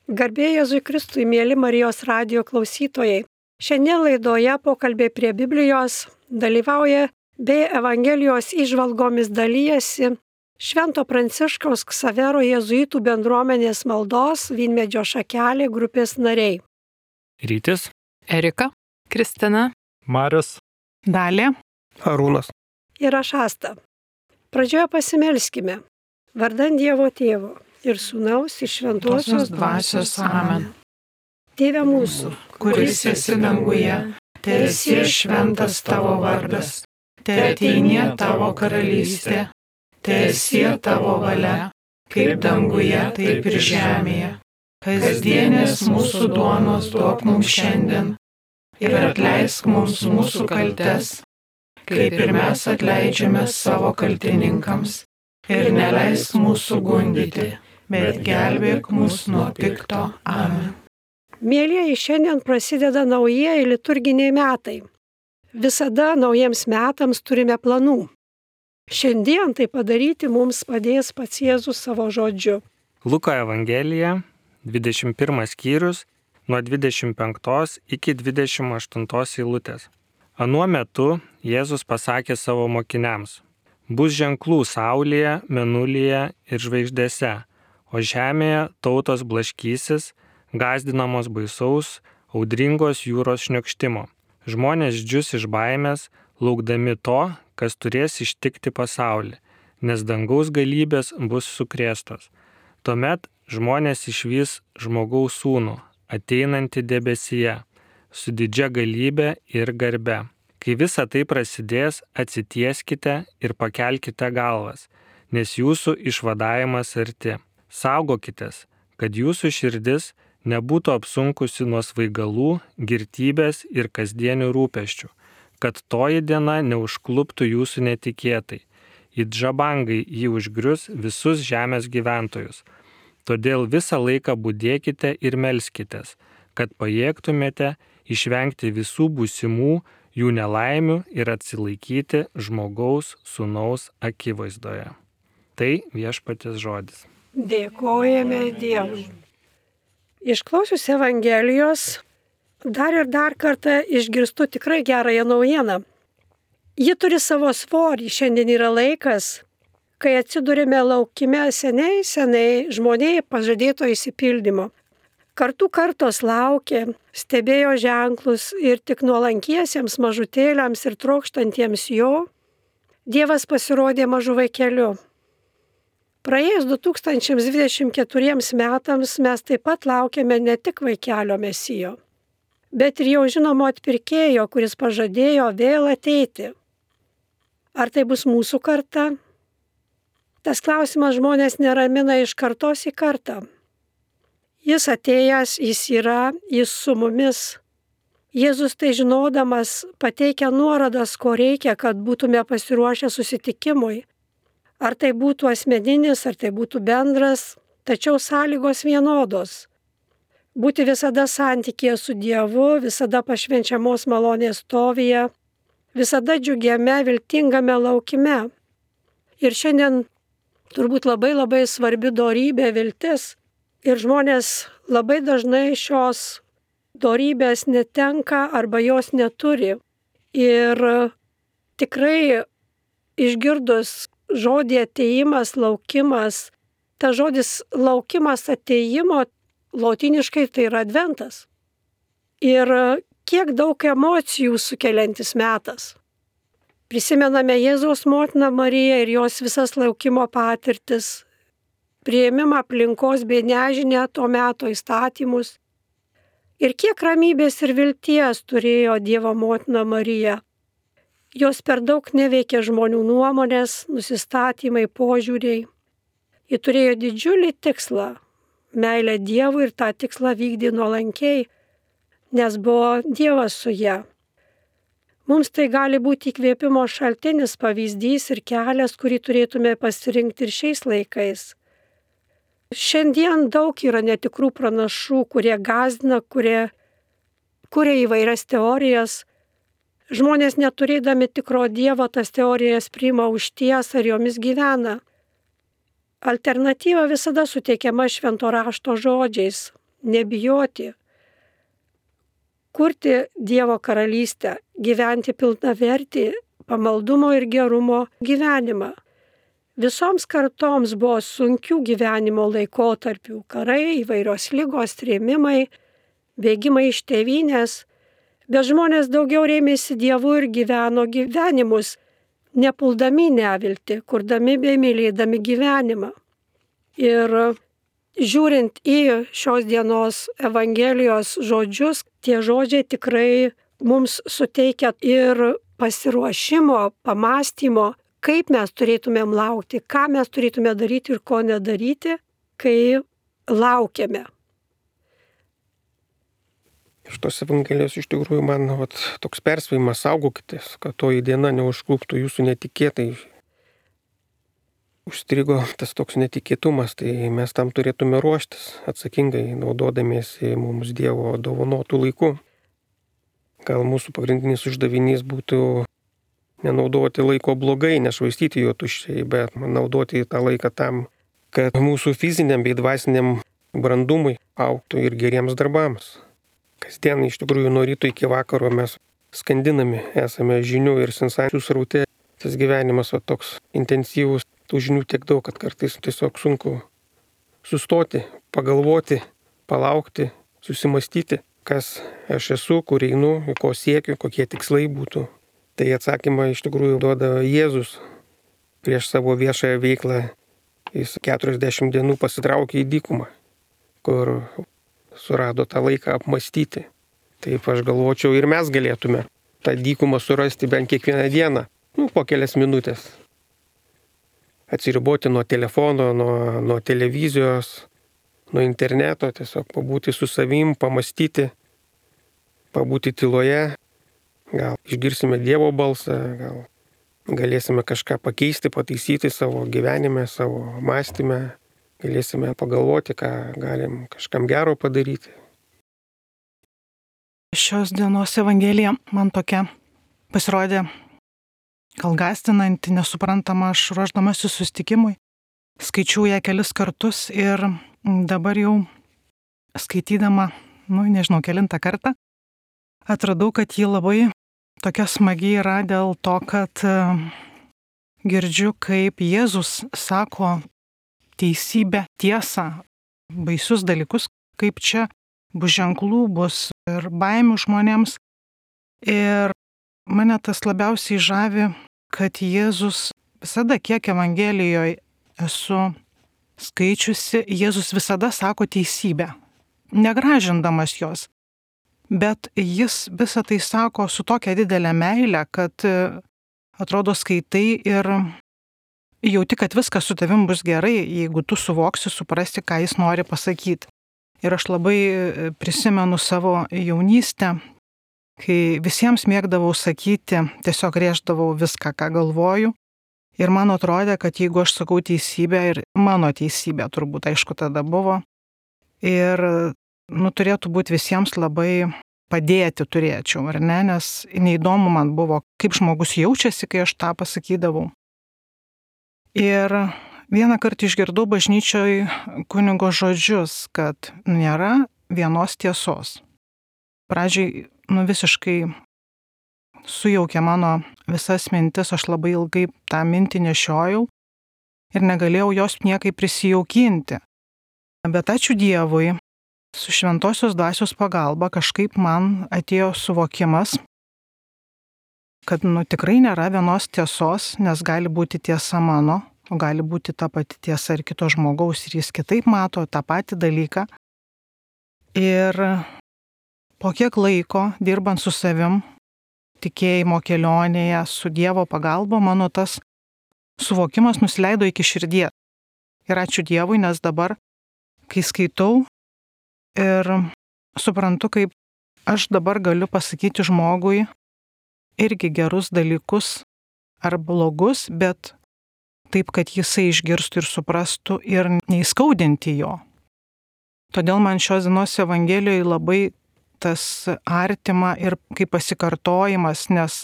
Garbė Jėzui Kristui, mėly Marijos radijo klausytojai. Šiandien laidoje pokalbiai prie Biblijos dalyvauja bei Evangelijos įžvalgomis dalyjasi Švento Pranciškaus Ksavero jėzuitų bendruomenės maldos Vynmedžio šakelė grupės nariai. Rytis, Erika, Kristina, Marius, Dalė, Arūnas Ir aš Asta. Pradžioje pasimelskime. Vardan Dievo Tėvo ir Sūnaus ir Šventosios Dvasios Amen. Tėve mūsų, Kuris esi danguje, teesie šventas tavo vardas, teateinie tavo karalystė, teesie tavo valia, kaip danguje, taip ir žemėje. Kasdienės mūsų duonos duok mums šiandien ir atleisk mums mūsų kaltes, kaip ir mes atleidžiame savo kaltininkams, ir neleisk mūsų gundyti, bet gelbėk mus nuo pikto. Amen. mėlyjeji, šiandien prasideda naujieji liturginiai metai. Visada naujiems metams turime planų. Šiandien tai padaryti mums padės pats Jėzus savo žodžiu. Luko Evangelija, 21 skyrius, nuo 25 iki 28 eilutės. Anuo metu Jėzus pasakė savo mokiniams: bus ženklų saulėje, mėnulyje ir žvaigždėse, o žemėje tautos blaškysis, gąsdinamos baisaus, audringos jūros šniokštimo. Žmonės džius iš baimės, laukdami to, kas turės ištikti pasaulį, nes dangaus galybės bus sukrėstos. Tuomet žmonės išvys žmogaus sūnų, ateinantį debesyje, su didžia galybė ir garbe. Kai visa tai prasidės, atsitieskite ir pakelkite galvas, nes jūsų išvadavimas arti. Saugokitės, kad jūsų širdis nebūtų apsunkusi nuo svaigalų, girtybės ir kasdienių rūpesčių, kad toji diena neužkluptų jūsų netikėtai. It žabangai jį užgrius visus žemės gyventojus. Todėl visą laiką budėkite ir melskitės, kad pajėgtumėte išvengti visų būsimų jų nelaimių ir atsilaikyti žmogaus sūnaus akivaizdoje. Tai viešpaties žodis. Dėkojame Dievui. Išklausius Evangelijos, dar ir dar kartą išgirstu tikrai gerąją naujieną. Ji turi savo svorį. Šiandien yra laikas, kai atsidurime laukime seniai žmonijai pažadėto išsipildymo. Kartų kartos laukė, stebėjo ženklus ir tik nuolankiesiems mažutėliams ir trokštantiems jo, Dievas pasirodė mažu vaikeliu. Praėjus 2024 metams mes taip pat laukiame ne tik vaikelio Mesijo, bet ir jau žinomo atpirkėjo, kuris pažadėjo vėl ateiti. Ar tai bus mūsų karta? Tas klausimas žmonės neramina iš kartos į kartą. Jis atėjęs, jis yra, jis su mumis. Jėzus tai žinodamas pateikia nuorodas, ko reikia, kad būtume pasiruošę susitikimui. Ar tai būtų asmeninis, ar tai būtų bendras, tačiau sąlygos vienodos. Būti visada santykėje su Dievu, visada pašvenčiamos malonės stovyje, visada džiugiame, viltingame laukime. Ir šiandien turbūt labai svarbi dorybė viltis. Ir žmonės labai dažnai šios dorybės netenka arba jos neturi. Ir tikrai išgirdus žodį atėjimas, laukimas, ta žodis laukimas atėjimo lotyniškai tai yra adventas. Ir kiek daug emocijų sukeliantis metas. Prisimename Jėzaus motiną Mariją ir jos visas laukimo patirtis, priėmimą aplinkos bei nežinę to meto įstatymus. Ir kiek ramybės ir vilties turėjo Dievo motina Marija. Jos per daug neveikė žmonių nuomonės, nusistatymai, požiūriai. Ji turėjo didžiulį tikslą - meilę Dievui ir tą tikslą vykdė nuolankiai, nes buvo Dievas su ja. Mums tai gali būti įkvėpimo šaltinis, pavyzdys ir kelias, kurį turėtume pasirinkti ir šiais laikais. Šiandien daug yra netikrų pranašų, kurie gąsdina, kurie kuria įvairias teorijas. Žmonės neturėdami tikro Dievo tas teorijas priima už tiesą ir jomis gyvena. Alternatyva visada suteikiama švento rašto žodžiais. nebijoti, kurti Dievo karalystę, gyventi pilnavertį pamaldumo ir gerumo gyvenimą. Visoms kartoms buvo sunkių gyvenimo laikotarpių - karai, įvairios ligos, trėmimai, bėgimai iš tėvynės, bet žmonės daugiau rėmėsi Dievu ir gyveno gyvenimus, nepuldami nevilti, kurdami bei mylėdami gyvenimą. Ir žiūrint į šios dienos Evangelijos žodžius, tie žodžiai tikrai mums suteikia ir pasiruošimo, pamąstymo, kaip mes turėtumėm laukti, ką mes turėtume daryti ir ko nedaryti, kai laukiame. Iš tos Evangelijos iš tikrųjų man toks perspėjimas: saugokitės, kad toji diena neužkluptų jūsų netikėtai. Užstrigo tas toks netikėtumas, tai mes tam turėtume ruoštis atsakingai, naudodamiesi mums Dievo dovanotų laikų. Gal mūsų pagrindinis uždavinys būtų nenaudoti laiko blogai, nešvaistyti jo tuščiai, bet naudoti tą laiką tam, kad mūsų fiziniam bei dvasiniam brandumui augtų ir geriems darbams. Kasdien iš tikrųjų nuo ryto iki vakaro mes skandinami esame žinių ir sensacijų sraute. Tas gyvenimas toks intensyvus, tų žinių tiek daug, kad kartais tiesiog sunku sustoti, pagalvoti, palaukti, susimastyti, kas aš esu, kur einu, ko siekiu, kokie tikslai būtų. Tai atsakymą iš tikrųjų duoda Jėzus prieš savo viešąją veiklą. Jis 40 dienų pasitraukė į dykumą, kur surado tą laiką apmastyti. Taip aš galvočiau, ir mes galėtume tą dykumą surasti bent kiekvieną dieną, po kelias minutės. Atsiriboti nuo telefono, nuo televizijos, nuo interneto, tiesiog pabūti su savim, pamastyti, pabūti tyloje. Gal išgirsime Dievo balsą, gal galėsime kažką pakeisti, pataisyti savo gyvenime, savo mąstyme, galėsime pagalvoti, ką galim kažkam gero padaryti. Šios dienos Evangelija man tokia pasirodė gal gąsdinanti, nesuprantama. Aš ruošdamasi susitikimui skaičiau ją kelis kartus ir dabar jau skaitydama, nežinau, kelintą kartą, atradau, kad ji labai tokia smagi yra dėl to, kad girdžiu, kaip Jėzus sako teisybę, tiesą, baisius dalykus, kaip čia bus ženklų, bus ir baimių žmonėms. Ir mane tas labiausiai žavi, kad Jėzus visada, kiek Evangelijoje esu skaičiusi, Jėzus visada sako teisybę, negražindamas jos. Bet jis visą tai sako su tokia didelė meile, kad atrodo skaitai ir jauti, kad viskas su tavim bus gerai, jeigu tu suvoksi, suprasti, ką jis nori pasakyti. Ir aš labai prisimenu savo jaunystę, kai visiems mėgdavau sakyti, tiesiog rėždavau viską, ką galvoju. Ir man atrodė, kad jeigu aš sakau teisybę, ir mano teisybė turbūt, aišku, tada buvo, ir turėtų būti visiems labai padėti turėčiau, ar ne, nes neįdomu man buvo, kaip žmogus jaučiasi, kai aš tą pasakydavau. Ir vieną kartą išgirdau bažnyčioj kunigo žodžius, kad nėra vienos tiesos. Pradžiai visiškai sujaukė mano visas mintis, aš labai ilgai tą mintį nešiojau ir negalėjau jos niekaip prisijaukinti. Bet ačiū Dievui, su šventosios dvasios pagalba kažkaip man atėjo suvokimas, kad tikrai nėra vienos tiesos, nes gali būti tiesa mano, o gali būti ta pati tiesa ir kito žmogaus, ir jis kitaip mato tą patį dalyką. Ir po kiek laiko, dirbant su savim, tikėjimo kelionėje, su Dievo pagalba, mano tas suvokimas nusileido iki širdies. Ir ačiū Dievui, nes dabar, kai skaitau ir suprantu, kaip aš dabar galiu pasakyti žmogui irgi gerus dalykus ar blogus, bet taip, kad jisai išgirstų ir suprastų ir neįskaudinti jo. Todėl man šios dienos Evangelijoje labai tas artima ir kaip pasikartojimas, nes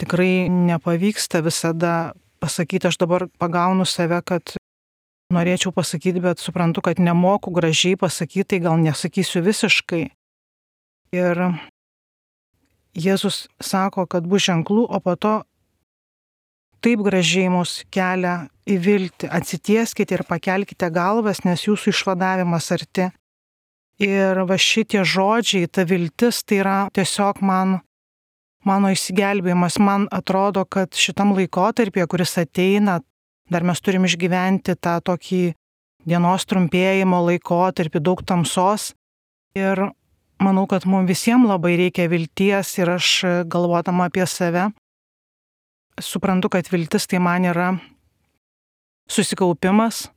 tikrai nepavyksta visada pasakyti, aš dabar pagaunu save, kad norėčiau pasakyti, bet suprantu, kad nemoku gražiai pasakyti, tai gal nesakysiu visiškai. Ir Jėzus sako, kad bus ženklų, o po to taip gražiai mus kelia į viltį. Atsitieskite ir pakelkite galvas, nes jūsų išvadavimas arti. Ir va šitie žodžiai, ta viltis, tai yra tiesiog mano išsigelbėjimas. Man atrodo, kad šitam laikotarpyje, kuris ateina, dar mes turim išgyventi tą tokį dienos trumpėjimo laikotarpį, daug tamsos. Ir manau, kad mums visiems labai reikia vilties ir aš galvodama apie save, suprantu, kad viltis tai man yra susikaupimas,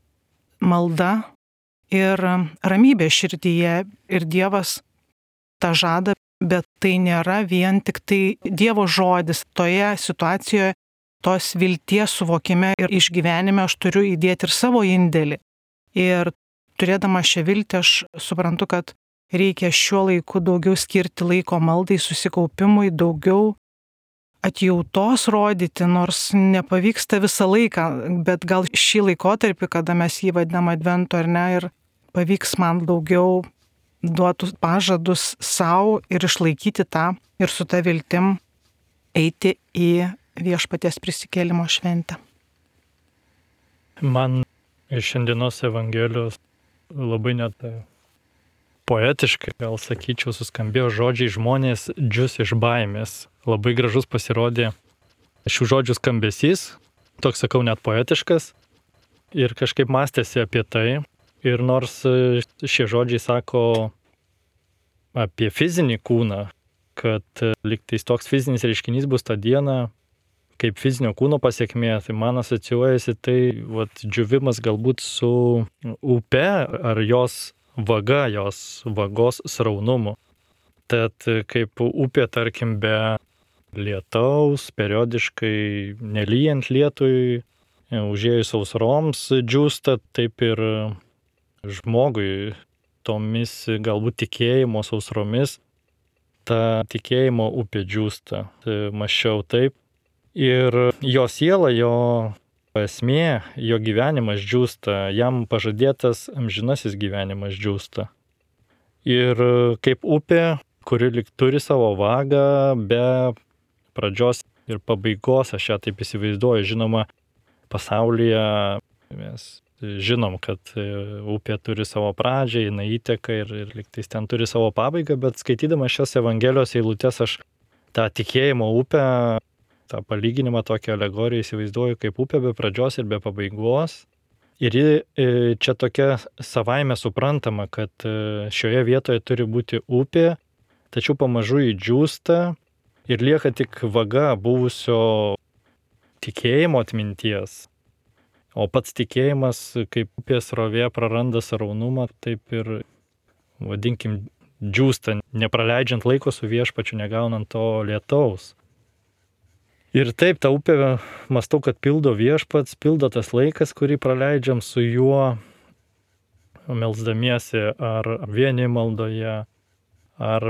malda ir ramybė širdyje. Ir Dievas tą žada, bet tai nėra vien tik tai Dievo žodis. Toje situacijoje, tos vilties suvokime ir išgyvenime aš turiu įdėti ir savo indėlį. Ir turėdama šią viltį aš suprantu, kad reikia šiuo laiku daugiau skirti laiko maldai, susikaupimui, daugiau atjautos rodyti, nors nepavyksta visą laiką, bet gal šį laikotarpį, kada mes jį vadinam adventu ar ne, ir pavyks man daugiau duotų pažadus savo ir išlaikyti tą ir su ta viltim eiti į Viešpaties prisikėlimo šventę. Man iš šiandienos Evangelijos labai net poetiškai, gal sakyčiau, suskambėjo žodžiai žmonės džius iš baimės. Labai gražus pasirodė šių žodžių skambesys, toks sakau net poetiškas, ir kažkaip mąstėsi apie tai. Ir nors šie žodžiai sako apie fizinį kūną, kad lygtais toks fizinis reiškinys bus tą dieną, kaip fizinio kūno pasiekmė, tai man asocijuojasi tai džiuvimas galbūt su upe ar jos vaga, jos vagos sraunumu. Tad kaip upė, tarkim, be lietaus, periodiškai nelyjant lietui, užėjus sausroms džiūsta, taip ir žmogui tomis galbūt tikėjimo sausromis ta tikėjimo upė džiūsta. Mąsčiau taip. Ir jo siela, jo esmė, jo gyvenimas džiūsta, jam pažadėtas amžinasis gyvenimas džiūsta. Ir kaip upė, kuri lyg turi savo vagą, be pradžios ir pabaigos, aš ją taip įsivaizduoju. Žinoma, pasaulyje mes žinom, kad upė turi savo pradžią, jinai įteka ir lygtais ten turi savo pabaigą, bet skaitydama šias Evangelijos eilutes aš tą tikėjimo upę, tą palyginimą, tokią alegoriją įsivaizduoju kaip upė be pradžios ir be pabaigos. Ir ji čia tokia savaime suprantama, kad šioje vietoje turi būti upė, tačiau pamažu ji džiūsta ir lieka tik vaga buvusio tikėjimo atminties. O pats tikėjimas, kaip upės srovė praranda sraunumą, taip ir, vadinkim, džiūsta, nepraleidžiant laiko su Viešpačiu, negaunant to lietaus. Ir taip, tą upę, mąstau, kad pildo Viešpats, pildo tas laikas, kurį praleidžiam su juo, melsdamiesi ar vieni maldoje, ar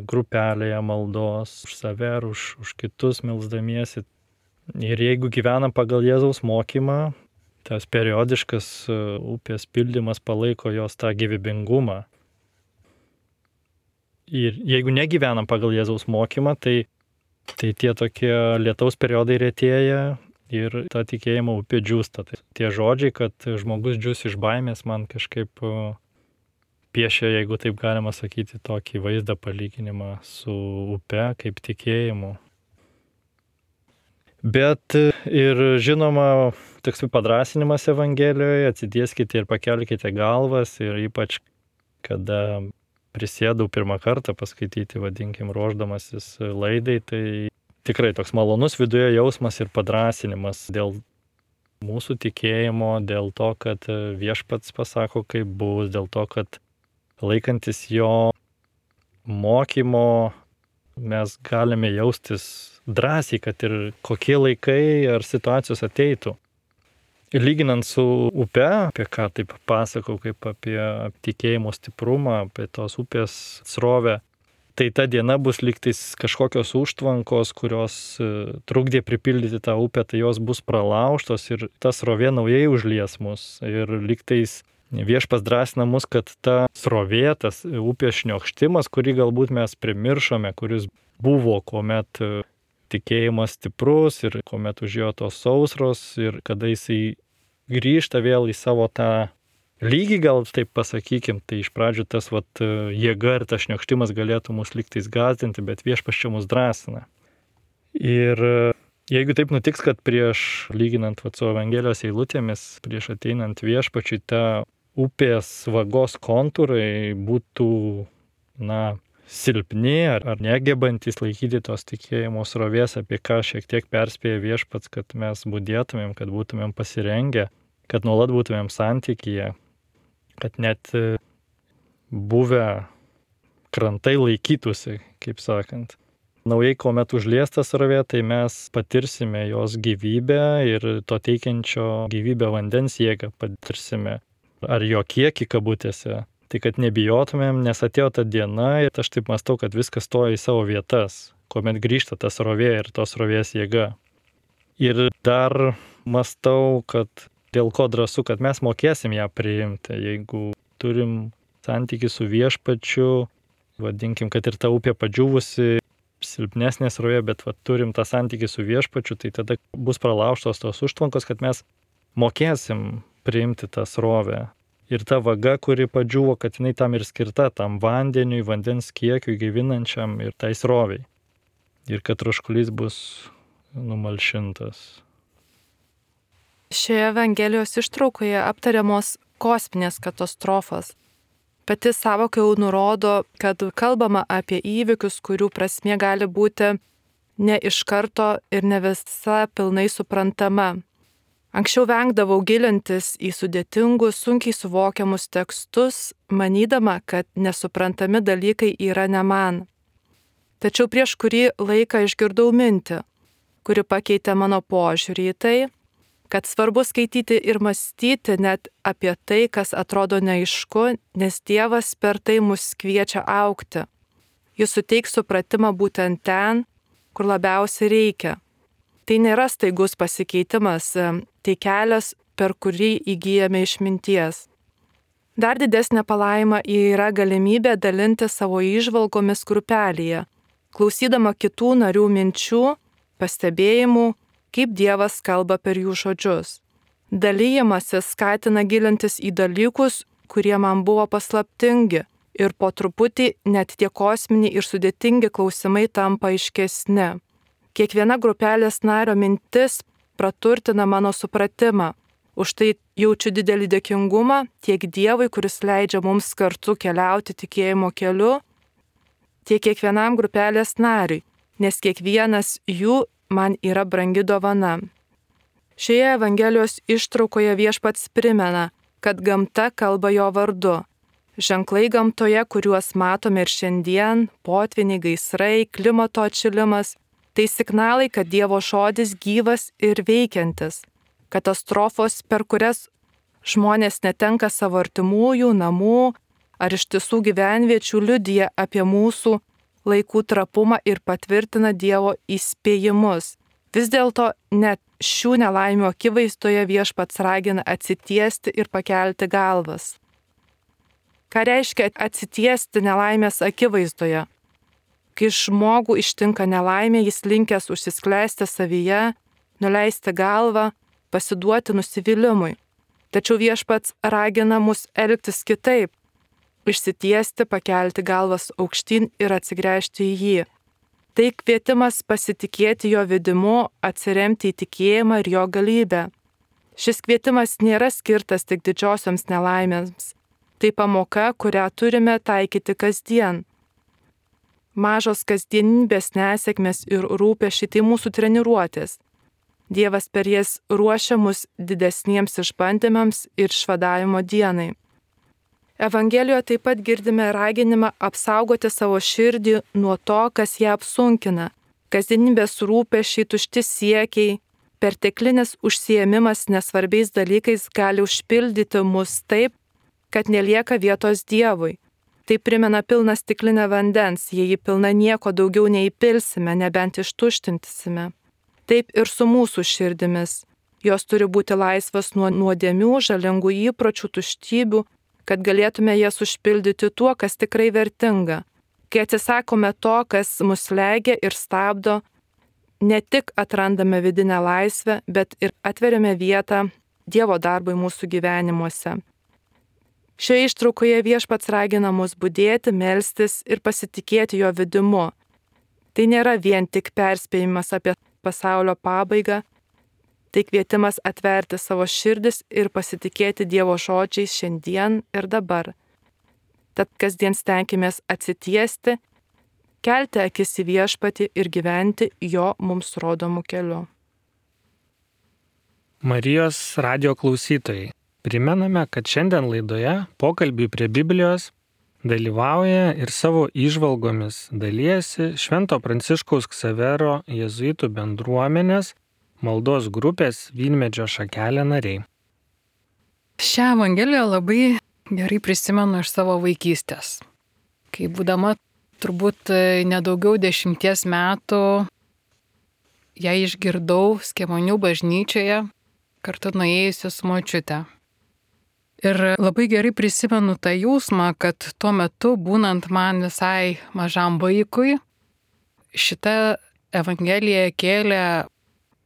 grupelėje maldos, už save ar už kitus melsdamiesi. Ir jeigu gyvenam pagal Jėzaus mokymą, tas periodiškas upės pildymas palaiko jos tą gyvybingumą. Ir jeigu negyvenam pagal Jėzaus mokymą, tai tie tokie lietaus periodai retėja ir ta tikėjimo upė džiūsta. Tai tie žodžiai, kad žmogus džius iš baimės, man kažkaip piešia, jeigu taip galima sakyti, tokį vaizdą palyginimą su upe kaip tikėjimu. Bet ir žinoma, toks padrasinimas Evangelijoje, atsitieskite ir pakelkite galvas, ir ypač kada prisėdau pirmą kartą paskaityti, vadinkim, ruošdamasis laidai, tai tikrai toks malonus viduje jausmas ir padrasinimas dėl mūsų tikėjimo, dėl to, kad Viešpats pasako, kaip bus, dėl to, kad laikantis jo mokymo mes galime jaustis drąsiai, kad ir kokie laikai ar situacijos ateitų. Ir lyginant su upe, apie ką taip pasakau, kaip apie tikėjimo stiprumą, apie tos upės srovę, tai ta diena bus lygtais kažkokios užtvankos, kurios trukdė pripildyti tą upę, tai jos bus pralaužtos ir tas srovė naujai užlies mus. Ir lygtais Viešpats drąsina mus, kad ta srovė, tas upės šniokštimas, kurį galbūt mes primiršome, kuris buvo, kuomet tikėjimas stiprus ir kuomet užėjo tos sausros ir kada jisai grįžta vėl į savo tą lygį, gal taip pasakykim, tai iš pradžių tas jėga ir tas šniokštimas galėtų mus lygtais gąsdinti, bet Viešpats čia mus drąsina. Ir jeigu taip nutiks, kad prieš, lyginant su Evangelijos eilutėmis, prieš ateinant Viešpačiui, ta upės vagos kontūrai būtų, silpni ar negebantys laikyti tos tikėjimo srovės, apie ką šiek tiek perspėja Viešpats, kad mes budėtumėm, kad būtumėm pasirengę, kad nuolat būtumėm santykyje, kad net buvę krantai laikytųsi, kaip sakant. Naujai, kuomet užliesta srovė, tai mes patirsime jos gyvybę ir to teikiančio gyvybę vandens jėgą patirsime. Ar jo kiekį kabutėse. Tai kad nebijotumėm, nes atėjo ta diena ir aš taip mąstau, kad viskas stoja į savo vietas, kuomet grįžta ta srovė ir tos srovės jėga. Ir dar mąstau, kad dėl ko drąsu, kad mes mokėsim ją priimti. Jeigu turim santykį su Viešpačiu, vadinkim, kad ir ta upė padžiūvusi, silpnesnė srovė, bet turim tą santykį su Viešpačiu, tai tada bus pralaužtos tos užtvankos, kad mes mokėsim priimti tą srovę. Ir ta vaga, kuri padžiūvo, kad jinai tam ir skirta, tam vandeniui, vandens kiekiui gyvinančiam ir tai sroviai. Ir kad troškulys bus numalšintas. Šioje Evangelijos ištraukoje aptariamos kosminės katastrofos. Pati sąvoka jau nurodo, kad kalbama apie įvykius, kurių prasmė gali būti ne iš karto ir ne visa pilnai suprantama. Anksčiau vengdavau gilintis į sudėtingus, sunkiai suvokiamus tekstus, manydama, kad nesuprantami dalykai yra ne man. Tačiau prieš kurį laiką išgirdau mintį, kuri pakeitė mano požiūrį į tai, kad svarbu skaityti ir mąstyti net apie tai, kas atrodo neaišku, nes Dievas per tai mus kviečia augti. Jis suteiks supratimą būtent ten, kur labiausiai reikia. Tai nėra staigus pasikeitimas, tai kelias, per kurį įgyjame išminties. Dar didesnė palaima yra galimybė dalinti savo įžvalgomis grupelėje, klausydama kitų narių minčių, pastebėjimų, kaip Dievas kalba per jų žodžius. Dalyjimasis skatina gilintis į dalykus, kurie man buvo paslaptingi, ir po truputį net tie kosminiai ir sudėtingi klausimai tampa aiškesni. Kiekviena grupelės nario mintis praturtina mano supratimą. Už tai jaučiu didelį dėkingumą tiek Dievui, kuris leidžia mums kartu keliauti tikėjimo keliu, tiek kiekvienam grupelės nariui, nes kiekvienas jų man yra brangi dovana. Šioje Evangelijos ištraukoje Viešpats primena, kad gamta kalba jo vardu. Ženklai gamtoje, kuriuos matome ir šiandien, potvyniai, gaisrai, klimato atšilimas, tai signalai, kad Dievo žodis gyvas ir veikiantis. Katastrofos, per kurias žmonės netenka savo artimųjų, namų ar ištisų gyvenviečių, liudija apie mūsų laikų trapumą ir patvirtina Dievo įspėjimus. Vis dėlto net šių nelaimių akivaizdoje Viešpats ragina atsitiesti ir pakelti galvas. Ką reiškia atsitiesti nelaimės akivaizdoje? Kai žmogų ištinka nelaimė, jis linkęs užsiskleisti savyje, nuleisti galvą, pasiduoti nusivylimui. Tačiau Viešpats ragina mus elgtis kitaip, išsitiesti, pakelti galvas aukštyn ir atsigręžti į jį. Tai kvietimas pasitikėti jo vedimu, atsiremti į tikėjimą ir jo galybę. Šis kvietimas nėra skirtas tik didžiosioms nelaimėms. Tai pamoka, kurią turime taikyti kasdien. Mažos kasdienybės nesėkmės ir rūpesčiai tai mūsų treniruotės. Dievas per jas ruošia mus didesniems išbandymams ir išvadavimo dienai. Evangelijoje taip pat girdime raginimą apsaugoti savo širdį nuo to, kas ją apsunkina. Kasdienybės rūpesčiai, tušti siekiai, perteklinis užsiėmimas nesvarbiais dalykais gali užpildyti mus taip, kad nelieka vietos Dievui. Tai primena pilną stiklinę vandens, jei ji pilna nieko daugiau neįpilsime, nebent ištuštinsime. Taip ir su mūsų širdimis. Jos turi būti laisvas nuo nuodėmių, žalingų įpročių, tuštybių, kad galėtume jas užpildyti tuo, kas tikrai vertinga. Kai atsisakome to, kas mus slegia ir stabdo, ne tik atrandame vidinę laisvę, bet ir atveriame vietą Dievo darbui mūsų gyvenimuose. Šioje ištraukoje Viešpats ragina mus budėti, melstis ir pasitikėti jo vidimu. Tai nėra vien tik perspėjimas apie pasaulio pabaigą, tai kvietimas atverti savo širdis ir pasitikėti Dievo žodžiais šiandien ir dabar. Tad kasdien stenkimės atsitiesti, kelti akis į Viešpatį ir gyventi jo mums rodomų keliu. Marijos radijo klausytojai, primename, kad šiandien laidoje pokalbiui prie Biblijos dalyvauja ir savo įžvalgomis dalijasi Švento Pranciškaus Ksavero jėzuitų bendruomenės maldos grupės Vynmedžio šakelė nariai. Šią evangeliją labai gerai prisimenu iš savo vaikystės. Kai būdama turbūt nedaugiau 10 metų, ją išgirdau Skemonių bažnyčioje, kartu nuėjusi su močiute. Ir labai gerai prisimenu tą jausmą, kad tuo metu, būnant man visai mažam vaikui, šita evangelija kėlė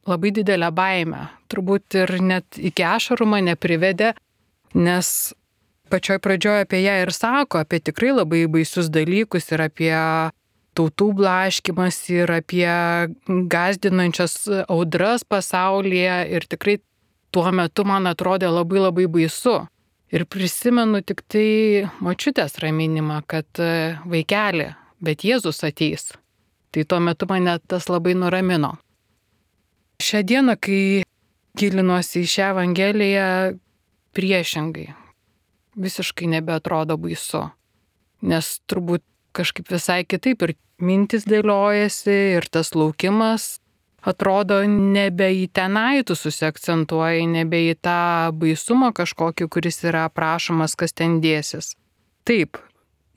labai didelę baimę. Turbūt ir net iki ašarų mane privedė, nes pačioj pradžioje apie ją ir sako, apie tikrai labai baisius dalykus ir apie tautų blaškymas ir apie gąsdinančias audras pasaulyje ir tikrai tuo metu man atrodė labai labai baisu. Ir prisimenu tik tai močiutės raminimą, kad vaikeli, bet Jėzus ateis. Tai tuo metu mane tas labai nuramino. Šią dieną, kai gilinuosi į šią evangeliją, priešingai, visiškai nebeatrodo baisu. Nes turbūt kažkaip visai kitaip ir mintis dėliojasi ir tas laukimas atrodo nebe į tenai tu susiakcentuoji, nebe į tą baisumą kažkokį, kuris yra aprašomas, kas ten dėsis. Taip,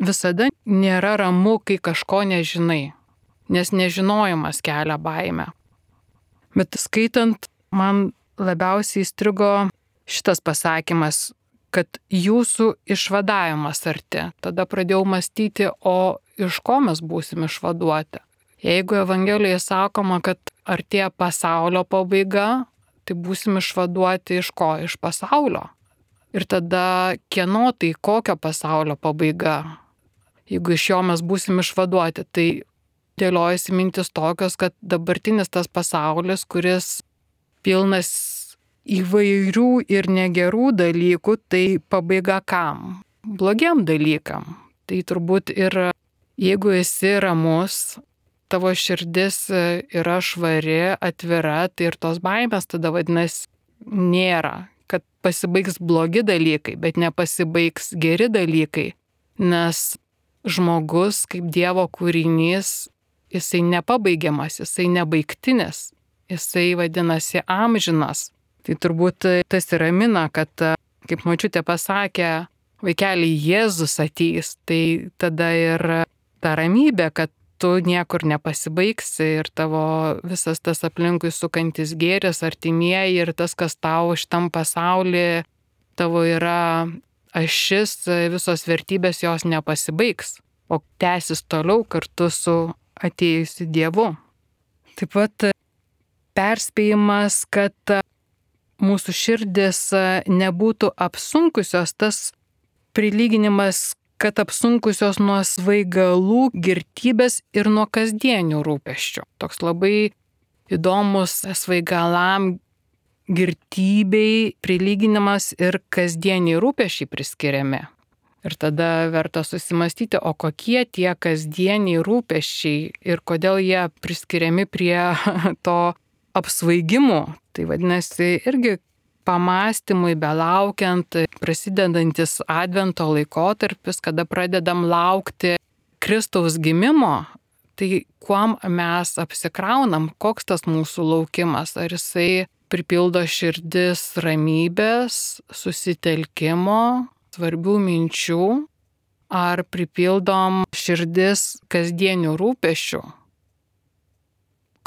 visada nėra ramu, kai kažko nežinai, nes nežinojimas kelia baimę. Bet skaitant, man labiausiai įstrigo šitas pasakymas, kad jūsų išvadavimas arti. Tada pradėjau mąstyti, o iš ko mes būsim išvaduoti. Jeigu Evangelijoje sakoma, kad artėja pasaulio pabaiga, tai būsim išvaduoti iš ko? Iš pasaulio. Ir tada kieno tai kokio pasaulio pabaiga? Jeigu iš jo mes būsim išvaduoti, tai dėliojasi mintis tokios, kad dabartinis tas pasaulis, kuris pilnas įvairių ir negerų dalykų, tai pabaiga kam? Blogiam dalykam. Tai turbūt ir jeigu esi ramus, tavo širdis yra švari, atvira, tai ir tos baimės tada vadinasi nėra, kad pasibaigs blogi dalykai, bet nepasibaigs geri dalykai, nes žmogus kaip Dievo kūrinys, jisai nepabaigiamas, jisai nebaigtinis, jisai vadinasi amžinas. Tai turbūt tas ir ramina, kad kaip močiutė pasakė, vaikeli Jėzus ateis, tai tada ir ta ramybė, kad tu niekur nepasibaigsi ir tavo visas tas aplinkui sukantis gėris, artimieji ir tas, kas tau šitam pasaulyje tavo yra ašis, visos vertybės jos nepasibaigs, o tęsis toliau kartu su atėjusiu Dievu. Taip pat perspėjimas, kad mūsų širdis nebūtų apsunkusios, tas prilyginimas, kad apsunkusios nuo svaigalų, girtybės ir nuo kasdienių rūpesčių. Toks labai įdomus svaigalam, girtybei prilyginimas ir kasdieniai rūpesčiai priskiriami. Ir tada verta susimastyti, o kokie tie kasdieniai rūpesčiai ir kodėl jie priskiriami prie to apsvaigimų. Tai vadinasi irgi pamastymui belaukiant, prasidedantis Advento laikotarpis, kada pradedam laukti Kristaus gimimo, tai kuom mes apsikraunam, koks tas mūsų laukimas, ar jisai pripildo širdis ramybės, susitelkimo, svarbių minčių, ar pripildom širdis kasdienių rūpesčių,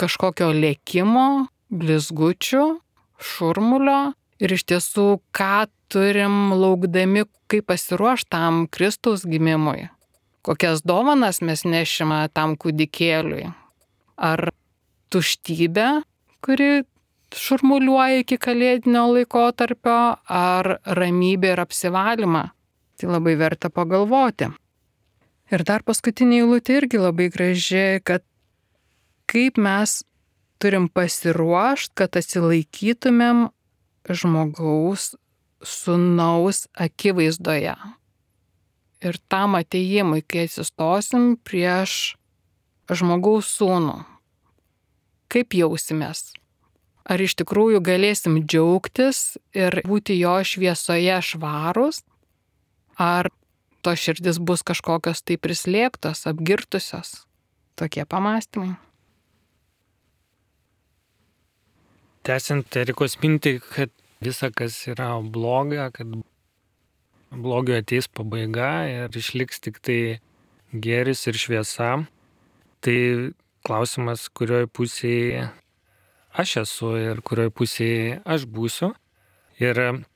kažkokio lėkimo, blizgučių, šurmulio ir iš tiesų, ką turim laukdami, kaip pasiruošti tam Kristaus gimimui, kokias dovanas mes nešime tam kūdikėliui, ar tuštybę, kuri šurmuliuoja iki kalėdinio laikotarpio, ar ramybė ir apsivalymą. Tai labai verta pagalvoti. Ir dar paskutinė eilutė irgi labai graži, kad kaip mes turim pasiruošti, kad atsilaikytumėm žmogaus sūnaus akivaizdoje. Ir tam atėjimui, kai atsistosim prieš žmogaus sūnų, kaip jausimės? Ar iš tikrųjų galėsim džiaugtis ir būti jo šviesoje švarūs? Ar to širdis bus kažkokios tai prislėgtos, apgirtusios? Tokie pamąstymai. Tęsiant Erikos mintį, kad visa, kas yra bloga, kad blogio ateis pabaiga ir išliks tik tai gėris ir šviesa, tai klausimas, kurioje pusėje aš esu ir kurioje pusėje aš būsiu. Ir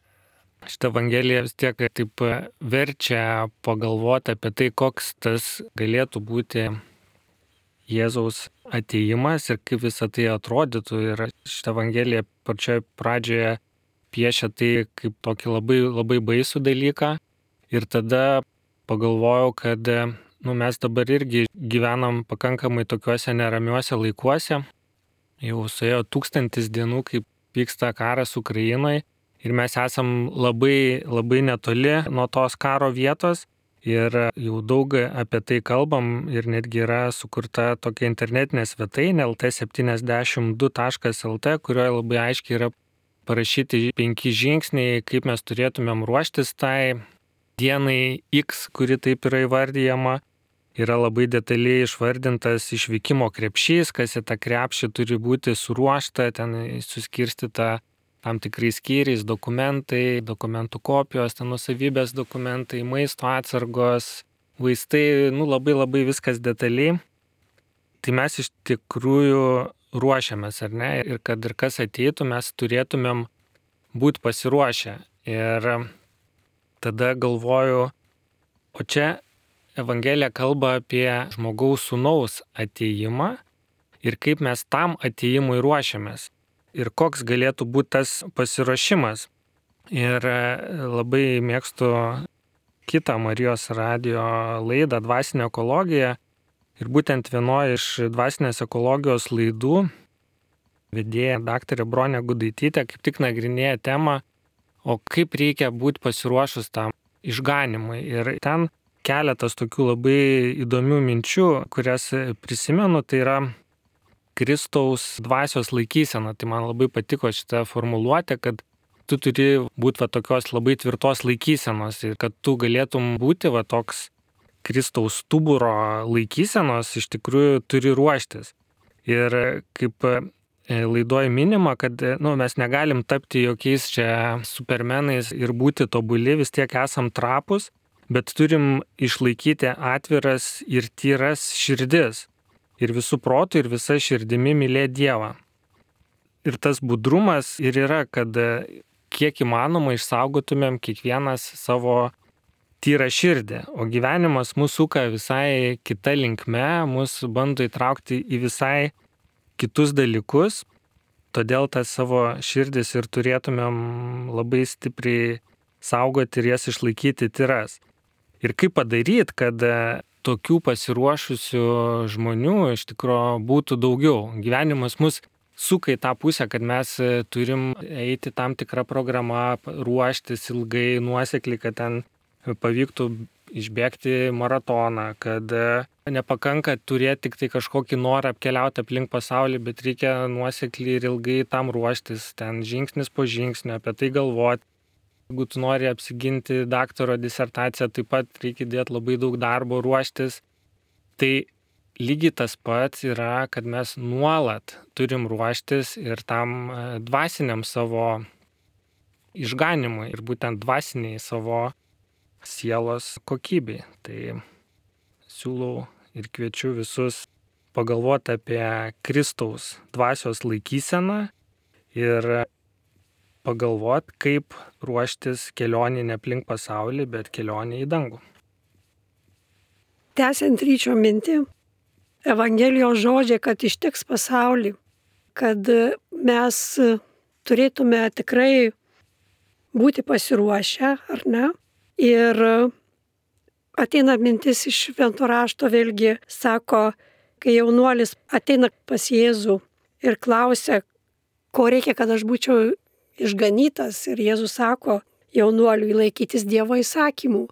šitą Evangeliją vis tiek taip verčia pagalvoti apie tai, koks tas galėtų būti Jėzaus atėjimas ir kaip visą tai atrodytų. Ir šitą Evangeliją pačioje pradžioje piešia tai kaip tokį labai, labai baisų dalyką. Ir tada pagalvojau, kad mes dabar irgi gyvenam pakankamai tokiuose neramiuose laikuose. Jau suėjo 1000 dienų, kaip vyksta karas Ukrainoje. Ir mes esam labai, labai netoli nuo tos karo vietos. Ir jau daug apie tai kalbam ir netgi yra sukurta tokia internetinė svetainė lt72.lt, kurioje labai aiškiai yra parašyti 5 žingsniai, kaip mes turėtumėm ruoštis tai dienai X, kuri taip yra įvardyjama. Yra labai detaliai išvardintas išvykimo krepšys, kas į tą krepšį turi būti suruošta, ten suskirstyta tam tikrais skyriais, dokumentai, dokumentų kopijos, ten nuosavybės dokumentai, maisto atsargos, vaistai, labai labai viskas detaliai. Tai mes iš tikrųjų ruošiamės, ar ne? Ir kad ir kas ateitų, mes turėtumėm būti pasiruošę. Ir tada galvoju, o čia Evangelija kalba apie žmogaus sūnaus atėjimą ir kaip mes tam atėjimui ruošiamės. Ir koks galėtų būti tas pasiruošimas. Ir labai mėgstu kitą Marijos radijo laidą Dvasinė ekologija. Ir būtent vienoje iš dvasinės ekologijos laidų vedėja daktarė Bronė Gudaitytė kaip tik nagrinėja temą, o kaip reikia būti pasiruošus tam išganimui. Ir ten keletas tokių labai įdomių minčių, kurias prisimenu, tai yra Kristaus dvasios laikysena. Tai man labai patiko šitą formuluotę, kad tu turi būti tokios labai tvirtos laikysenos ir kad tu galėtum būti toks Kristaus stuburo laikysenos, iš tikrųjų turi ruoštis. Ir kaip laidoje minima, kad mes negalim tapti jokiais čia supermenais ir būti tobuli, vis tiek esam trapus, bet turim išlaikyti atviras ir tyras širdis. Ir visų protų ir visa širdimi mylėti Dievą. Ir tas budrumas ir yra, kad kiek įmanoma išsaugotumėm kiekvienas savo tyrą širdį. O gyvenimas mūsų suka visai kita linkme, mus bando įtraukti į visai kitus dalykus. Todėl tas savo širdis ir turėtumėm labai stipriai saugoti ir jas išlaikyti tyras. Ir kaip padaryti, kad tokių pasiruošusių žmonių iš tikrųjų būtų daugiau. Gyvenimas mus suka į tą pusę, kad mes turim eiti tam tikrą programą, ruoštis ilgai, nuosekliai, kad ten pavyktų išbėgti maratoną, kad nepakanka turėti tik tai kažkokį norą apkeliauti aplink pasaulį, bet reikia nuosekliai ir ilgai tam ruoštis, ten žingsnis po žingsnio, apie tai galvoti. Jeigu tu nori apsiginti daktaro disertaciją, taip pat reikia dėti labai daug darbo, ruoštis. Tai lygiai tas pats yra, kad mes nuolat turim ruoštis ir tam dvasiniam savo išganimui ir būtent dvasiniai savo sielos kokybei. Tai siūlau ir kviečiu visus pagalvoti apie Kristaus dvasios laikyseną ir pagalvoti, kaip ruoštis kelionį ne aplink pasaulį, bet kelionį į dangų. Tęsiant Ryčio mintį, Evangelijos žodžiai, kad ištiks pasaulį, kad mes turėtume tikrai būti pasiruošę, ar ne? Ir ateina mintis iš Švento rašto, vėlgi sako, kai jaunuolis ateina pas Jėzų ir klausia, ko reikia, kad aš būčiau išganytas. Ir Jėzus sako jaunuoliui laikytis Dievo įsakymų,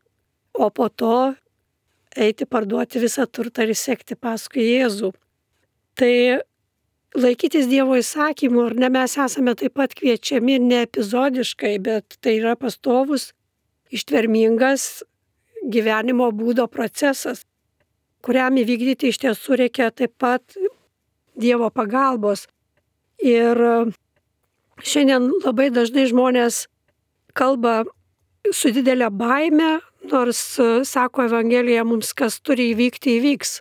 o po to eiti parduoti visą turtą ir sekti paskui Jėzų. Tai laikytis Dievo įsakymų, ar ne, mes esame taip pat kviečiami ne epizodiškai, bet tai yra pastovus, ištvermingas gyvenimo būdo procesas, kuriam įvykdyti iš tiesų reikia taip pat Dievo pagalbos. Ir šiandien labai dažnai žmonės kalba su didelė baime, nors sako Evangelija mums, kas turi įvykti, įvyks.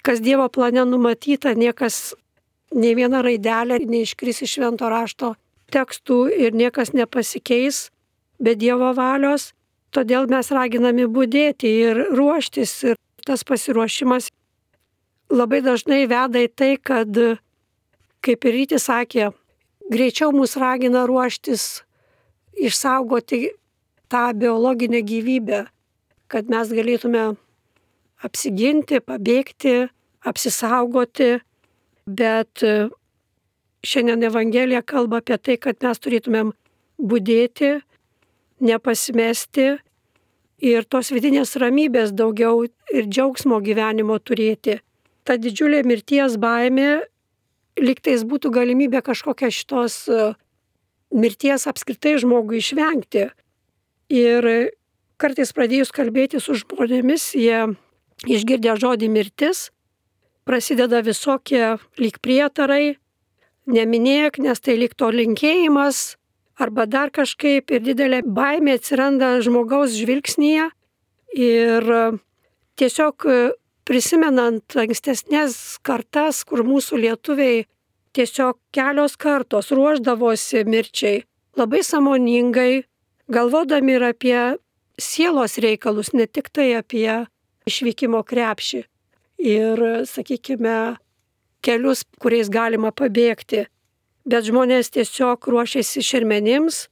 Kas Dievo plane numatyta, niekas, nei viena raidelė neiškris iš Švento rašto tekstų ir niekas nepasikeis be Dievo valios. Todėl mes raginami budėti ir ruoštis. Ir tas pasiruošimas labai dažnai veda į tai, kad, kaip ir Rytis sakė, greičiau mus ragina ruoštis, išsaugoti tą biologinę gyvybę, kad mes galėtume apsiginti, pabėgti, apsisaugoti. Bet šiandien Evangelija kalba apie tai, kad mes turėtumėm budėti, nepasimesti ir tos vidinės ramybės daugiau ir džiaugsmo gyvenimo turėti. Ta didžiulė mirties baimė, lygtais būtų galimybė kažkokią šitos mirties apskritai žmogui išvengti. Ir kartais pradėjus kalbėti su žmonėmis, jie išgirdę žodį mirtis, prasideda visokie lyg prietarai, neminėk, nes tai lyg to linkėjimas, arba dar kažkaip, ir didelė baimė atsiranda žmogaus žvilgsnyje. Ir tiesiog prisimenant ankstesnės kartas, kur mūsų lietuviai tiesiog kelios kartos ruošdavosi mirčiai, labai sąmoningai, galvodami ir apie sielos reikalus, ne tik tai apie išvykimo krepšį ir, sakykime, kelius, kuriais galima pabėgti. Bet žmonės tiesiog ruošėsi šermenims,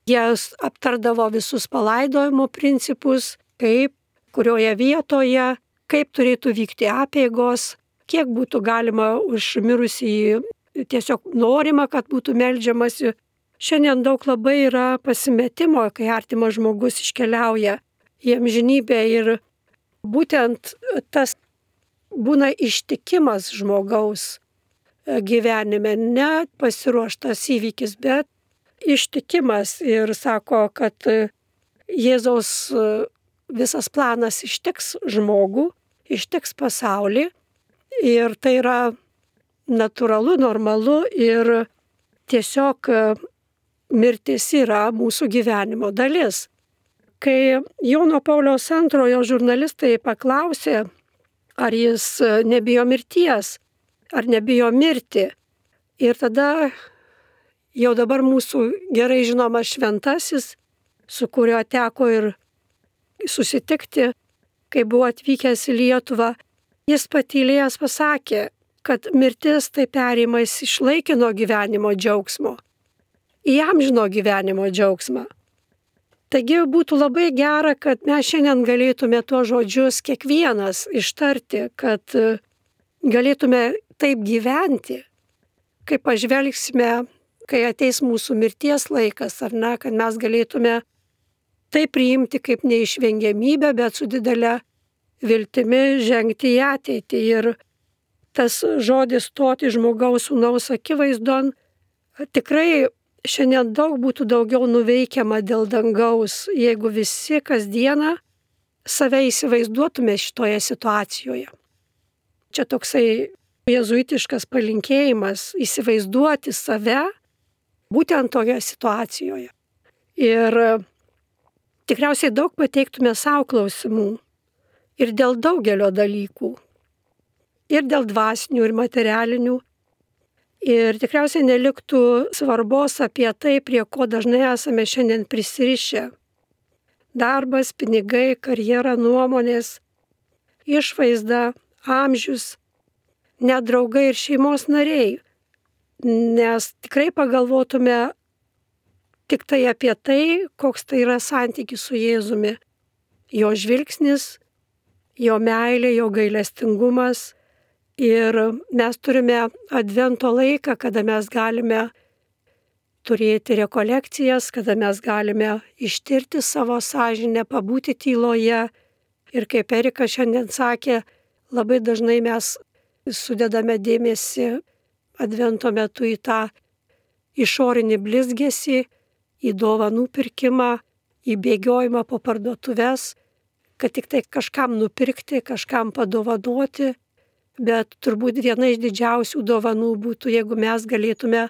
jie aptardavo visus palaidojimo principus, kaip, kurioje vietoje, kaip turėtų vykti apeigos, kiek būtų galima už mirusį, tiesiog norima, kad būtų meldžiamasi. Šiandien daug labai yra pasimetimo, kai artimas žmogus iškeliauja į amžinybę ir būtent tas būna ištikimas žmogaus gyvenime, ne pasiruoštas įvykis, bet ištikimas. Ir sako, kad Jėzaus visas planas ištiks žmogų, ištiks pasaulį ir tai yra natūralu, normalu ir tiesiog mirtis yra mūsų gyvenimo dalis. Kai Jono Pauliaus II žurnalistai paklausė, ar jis nebijo mirties, ar nebijo mirti. Ir tada jau dabar mūsų gerai žinomas šventasis, su kuriuo teko ir susitikti, kai buvo atvykęs į Lietuvą, jis patylėjęs pasakė, kad mirtis tai perėjimas iš laikino gyvenimo džiaugsmo į amžino gyvenimo džiaugsmą. Taigi būtų labai gera, kad mes šiandien galėtume tuos žodžius kiekvienas ištarti, kad galėtume taip gyventi, kai pažvelgsime, kai ateis mūsų mirties laikas, ar ne, kad mes galėtume tai priimti kaip neišvengiamybę, bet su didelė viltimi žengti į ateitį. Ir tas žodis stoti žmogaus sūnaus akivaizdon, tikrai šiandien daug būtų daugiau nuveikiama dėl dangaus, jeigu visi kasdieną save įsivaizduotume šitoje situacijoje. Čia toksai jėzuitiškas palinkėjimas įsivaizduoti save būtent toje situacijoje. Ir tikriausiai daug pateiktume savo klausimų. Ir dėl daugelio dalykų. Ir dėl dvasinių, ir materialinių. Ir tikriausiai neliktų svarbos apie tai, prie ko dažnai esame šiandien prisirišę. Darbas, pinigai, karjera, nuomonės, išvaizda, amžius, net draugai ir šeimos nariai. Nes tikrai pagalvotume tik tai apie tai, koks tai yra santykis su Jėzumi. Jo žvilgsnis, jo meilė, jo gailestingumas. Ir mes turime advento laiką, kada mes galime turėti rekolekcijas, kada mes galime ištirti savo sąžinę, pabūti tyloje. Ir kaip Erika šiandien sakė, labai dažnai mes sudedame dėmesį advento metu į tą išorinį blizgesį, į dovanų pirkimą, į bėgiojimą po parduotuves, kad tik tai kažkam nupirkti, kažkam padovanoti. Bet turbūt viena iš didžiausių dovanų būtų, jeigu mes galėtume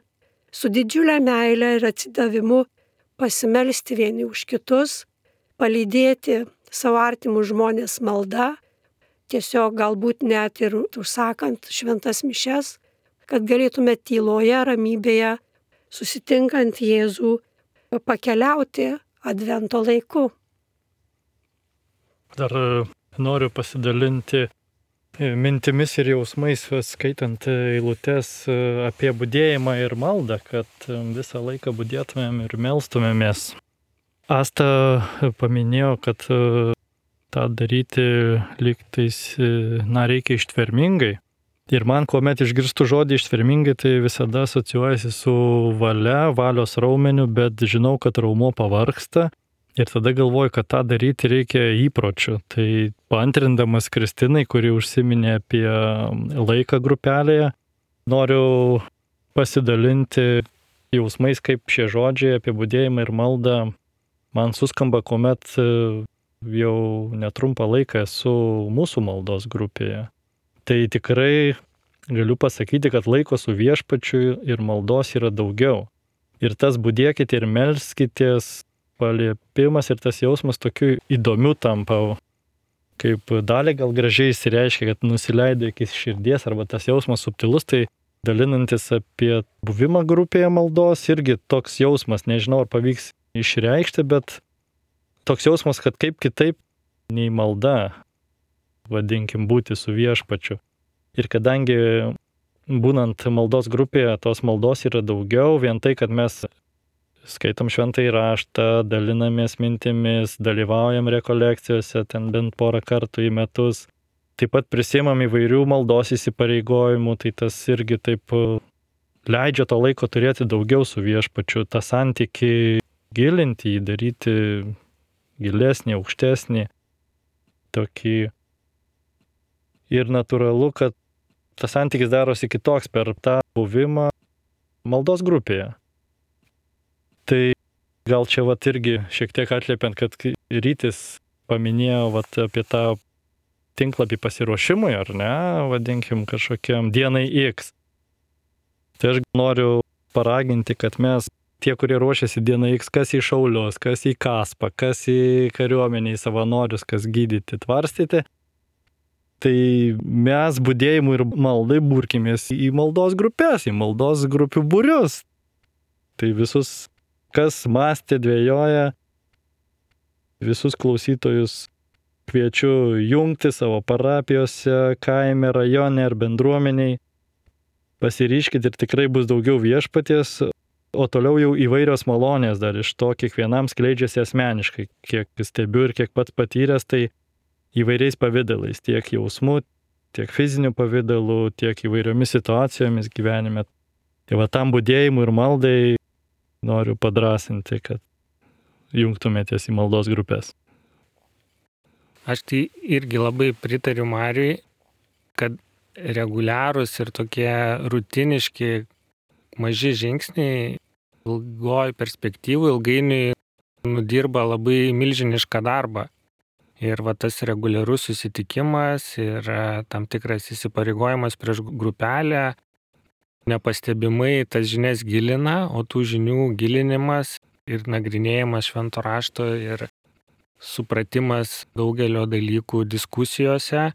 su didžiulė meile ir atsidavimu pasimelsti vieni už kitus, palydėti savo artimus žmonės malda, tiesiog galbūt net ir užsakant šventas mišias, kad galėtume tyloje, ramybėje, susitinkant Jėzų, pakeliauti advento laiku. Dar noriu pasidalinti mintimis ir jausmais, skaitant eilutes apie budėjimą ir maldą, kad visą laiką budėtumėm ir melstumėmės. Asta paminėjo, kad tą daryti lygtais, reikia ištvermingai. Ir man, kuomet išgirstu žodį ištvermingai, tai visada asocijuojasi su valia, valios raumeniu, bet žinau, kad raumo pavargsta. Ir tada galvoju, kad tą daryti reikia įpročių. Tai paantrindamas Kristinai, kuri užsiminė apie laiką grupelėje, noriu pasidalinti jausmais, kaip šie žodžiai apie budėjimą ir maldą man suskamba, kuomet jau netrumpą laiką esu mūsų maldos grupėje. Tai tikrai galiu pasakyti, kad laiko su viešpačiu ir maldos yra daugiau. Ir tas budėkite ir melskitės paliepimas ir tas jausmas tokiu įdomiu tampa, kaip dalį gal gražiai įsireiškia, kad nusileidai iki širdies, arba tas jausmas subtilus, tai dalinantis apie buvimą grupėje maldos, irgi toks jausmas, nežinau, ar pavyks išreikšti, bet toks jausmas, kad kaip kitaip nei malda, vadinkim, būti su viešpačiu. Ir kadangi būnant maldos grupėje, tos maldos yra daugiau, vien tai, kad mes skaitom šventąjį raštą, dalinamės mintimis, dalyvaujam rekolekcijose, ten bent porą kartų į metus. Taip pat prisiimam įvairių maldos įsipareigojimų, tai tas irgi taip leidžia to laiko turėti daugiau su viešpačiu, tą santykį gilinti, jį daryti gilesnį, aukštesnį, tokį. Ir natūralu, kad tas santykis darosi kitoks per tą buvimą maldos grupėje. Tai gal čia irgi šiek tiek atliepiant, kad Rytis paminėjo apie tą tinklapį pasiruošimui, ar ne, vadinkim kažkokiam dienai X. Tai aš noriu paraginti, kad mes, tie, kurie ruošiasi dienai X, kas į šaulius, kas į kaspą, kas į kariuomenį, į savanorius, kas gydyti, tvarstyti, tai mes budėjimui ir maldai burkimės į maldos grupės, į maldos grupių būrius. Tai visus, kas mąstė, dvejoja, visus klausytojus kviečiu jungti savo parapijose, kaime, rajone ar bendruomeniai. Pasiryškit ir tikrai bus daugiau viešpaties, o toliau jau įvairios malonės dar iš to kiekvienam skleidžiasi asmeniškai. Kiek stebiu ir kiek pats patyręs, tai įvairiais pavidalais, tiek jausmų, tiek fizinių pavidalų, tiek įvairiomis situacijomis gyvenime. Tai tam budėjimui ir maldai noriu padrasinti, kad jungtumėtės į maldos grupės. Aš tai irgi labai pritariu Mariui, kad reguliarūs ir tokie rutiniški maži žingsniai ilgoj perspektyvų ilgainiui nudirba labai milžinišką darbą. Ir tas reguliarus susitikimas ir tam tikras įsipareigojimas prieš grupelę nepastebimai tas žinias gilina, o tų žinių gilinimas ir nagrinėjimas švento rašto ir supratimas daugelio dalykų diskusijose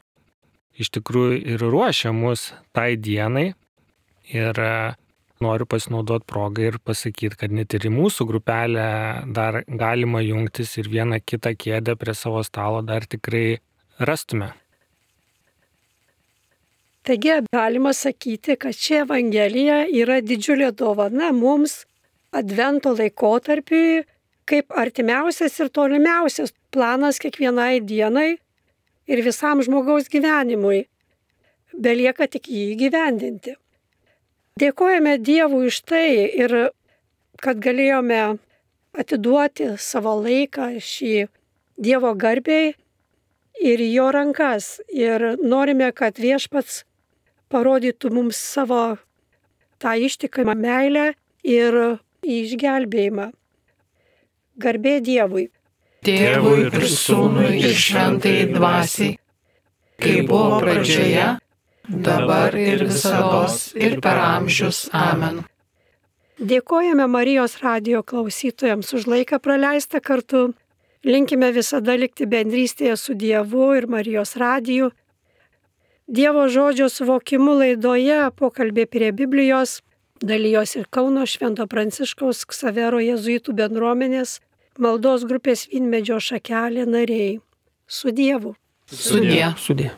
iš tikrųjų ir ruošia mus tai dienai. Ir noriu pasinaudoti progą ir pasakyti, kad net ir į mūsų grupelę dar galima jungtis ir vieną kitą kėdę prie savo stalo dar tikrai rastume. Taigi galima sakyti, kad ši Evangelija yra didžiulė dovana mums Advento laikotarpiui, kaip artimiausias ir tolimiausias planas kiekvienai dienai ir visam žmogaus gyvenimui. Belieka tik jį įgyvendinti. Dėkojame Dievui už tai ir kad galėjome atiduoti savo laiką šį Dievo garbei ir į jo rankas. Ir norime, kad Viešpats parodytų mums savo tą ištikimą meilę ir išgelbėjimą. Garbė Dievui. Tėvui ir Sūnui ir Šventajai Dvasiai, kaip buvo pradžioje, dabar ir visados ir per amžius. Amen. Dėkojame Marijos radijo klausytojams už laiką praleistą kartu. Linkime visada likti bendrystėje su Dievu ir Marijos radiju. Dievo žodžio suvokimu laidoje pokalbė prie Biblijos dalijos ir Kauno Švento Pranciškaus Ksavero jėzuitų bendruomenės maldos grupės Vynmedžio šakelė nariai. Su Dievu. Sudie. Sudie.